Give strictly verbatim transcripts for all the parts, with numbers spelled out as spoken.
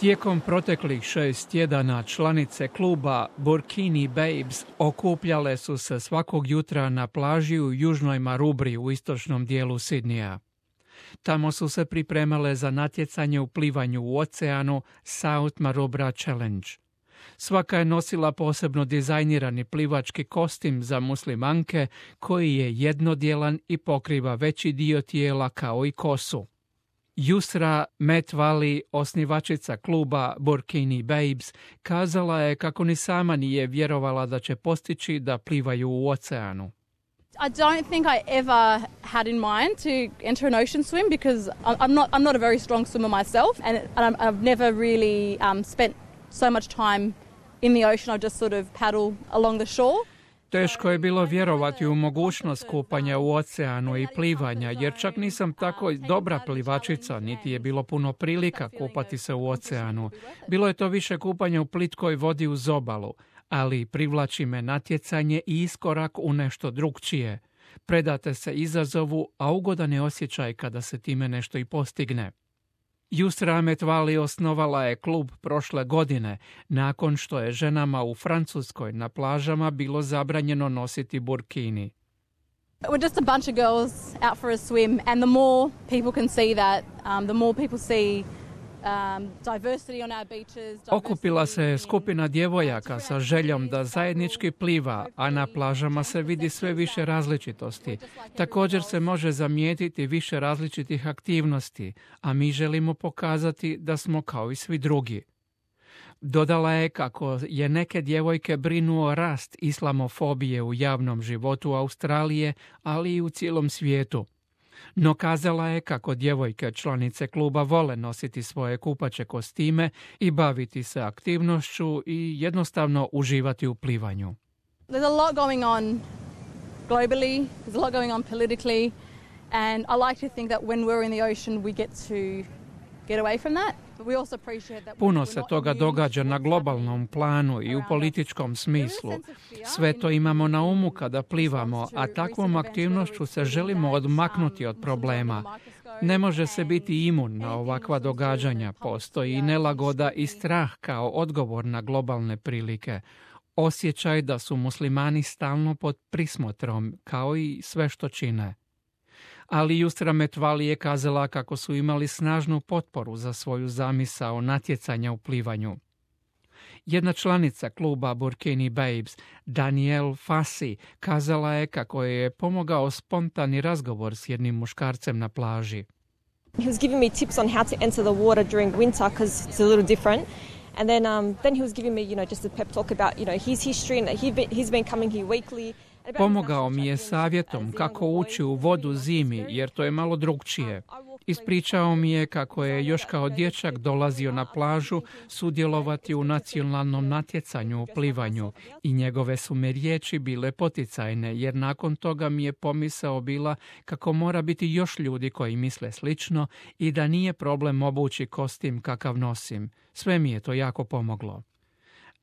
Tijekom proteklih šest tjedana članice kluba Burkini Babes okupljale su se svakog jutra na plaži u južnoj Marubri u istočnom dijelu Sidnija. Tamo su se pripremale za natjecanje u plivanju u oceanu South Marubra Challenge. Svaka je nosila posebno dizajnirani plivački kostim za muslimanke koji je jednodjelan i pokriva veći dio tijela kao i kosu. Yusra Metvali, osnivačica kluba Burkini Babes, kazala je kako ni sama nije vjerovala da će postići da plivaju u oceanu. I don't think I ever had in mind to enter an ocean swim because I'm not I'm not a very strong swimmer myself, and, and I've never really um, spent so much time in the ocean. I just sort of paddle along the shore. Teško je bilo vjerovati u mogućnost kupanja u oceanu i plivanja, jer čak nisam tako dobra plivačica, niti je bilo puno prilika kupati se u oceanu. Bilo je to više kupanja u plitkoj vodi uz obalu, ali privlači me natjecanje i iskorak u nešto drukčije. Predate se izazovu, a ugodan je osjećaj kada se time nešto i postigne. Yusra Metvali osnovala je klub prošle godine, nakon što je ženama u Francuskoj na plažama bilo zabranjeno nositi burkini. We're just a bunch of girls out for a swim, and the more people can see that, um, the more people see um, diversity on our beaches. Okupila se skupina djevojaka sa željom da zajednički pliva, a na plažama se vidi sve više različitosti. Također se može zamijetiti više različitih aktivnosti, a mi želimo pokazati da smo kao i svi drugi. Dodala je kako je neke djevojke brinuo rast islamofobije u javnom životu Australije, ali i u cijelom svijetu. No kazala je kako djevojke članice kluba vole nositi svoje kupaće kostime i baviti se aktivnošću i jednostavno uživati u plivanju. There's a lot going on globally, there's a lot going on politically, and I like to think that when we're in the ocean we get to get away from that. Puno se toga događa na globalnom planu i u političkom smislu. Sve to imamo na umu kada plivamo, a takvom aktivnošću se želimo odmaknuti od problema. Ne može se biti imun na ovakva događanja, postoji i nelagoda i strah kao odgovor na globalne prilike. Osjećaj da su muslimani stalno pod prismotrom, kao i sve što čine. Ali Yusra Metvali je kazala kako su imali snažnu potporu za svoju zamisao natjecanja u plivanju. Jedna članica kluba Burkini Babes, Danielle Fassi, kazala je kako je pomogao spontani razgovor s jednim muškarcem na plaži. He was giving me tips on how to enter the water during winter because it's a little different. And then um, then he was giving me, you know, just a pep talk about, you know, his history and that he'd been, he's been coming here weekly. Pomogao mi je savjetom kako ući u vodu zimi, jer to je malo drukčije. Ispričao mi je kako je još kao dječak dolazio na plažu sudjelovati u nacionalnom natjecanju u plivanju i njegove su me riječi bile poticajne, jer nakon toga mi je pomisao bila kako mora biti još ljudi koji misle slično i da nije problem obući kostim kakav nosim. Sve mi je to jako pomoglo.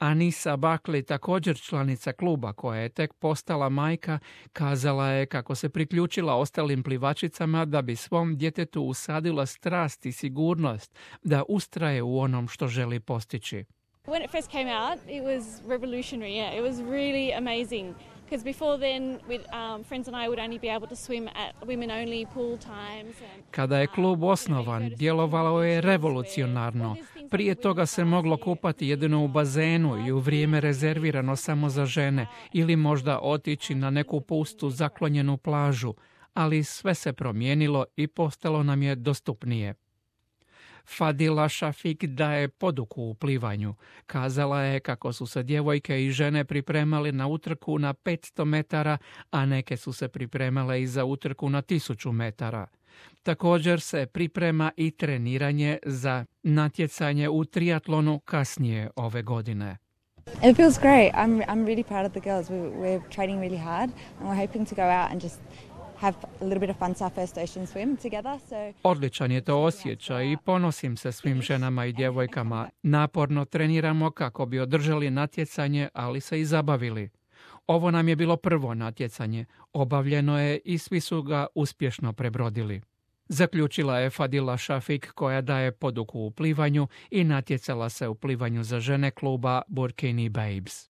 Anisa Buckley, također članica kluba koja je tek postala majka, kazala je kako se priključila ostalim plivačicama da bi svom djetetu usadila strast i sigurnost da ustraje u onom što želi postići. When it first came out, it was revolutionary. Yeah, it was really amazing. Because before then, with um, friends and I would only be able to swim at women-only pool times. And, Kada je klub osnovan, djelovalo je revolucionarno. Prije toga se moglo kupati jedino u bazenu i u vrijeme rezervirano samo za žene ili možda otići na neku pustu zaklonjenu plažu, ali sve se promijenilo i postalo nam je dostupnije. Fadila Šafik daje poduku u plivanju. Kazala je kako su se djevojke i žene pripremali na utrku na petsto metara, a neke su se pripremale i za utrku na tisuću metara. Također se priprema i treniranje za natjecanje u triatlonu kasnije ove godine. It feels great. I'm I'm really proud of the girls. We, we're training really hard and we're hoping to go out and just have a little bit of fun to our first ocean swim together. So Odličan je to osjećaj i ponosim se svim ženama i djevojkama. Naporno treniramo kako bi održali natjecanje, ali se i zabavili. Ovo nam je bilo prvo natjecanje. Obavljeno je i svi su ga uspješno prebrodili. Zaključila je Fadila Šafik koja daje poduku u plivanju i natjecala se u plivanju za žene kluba Burkini Babes.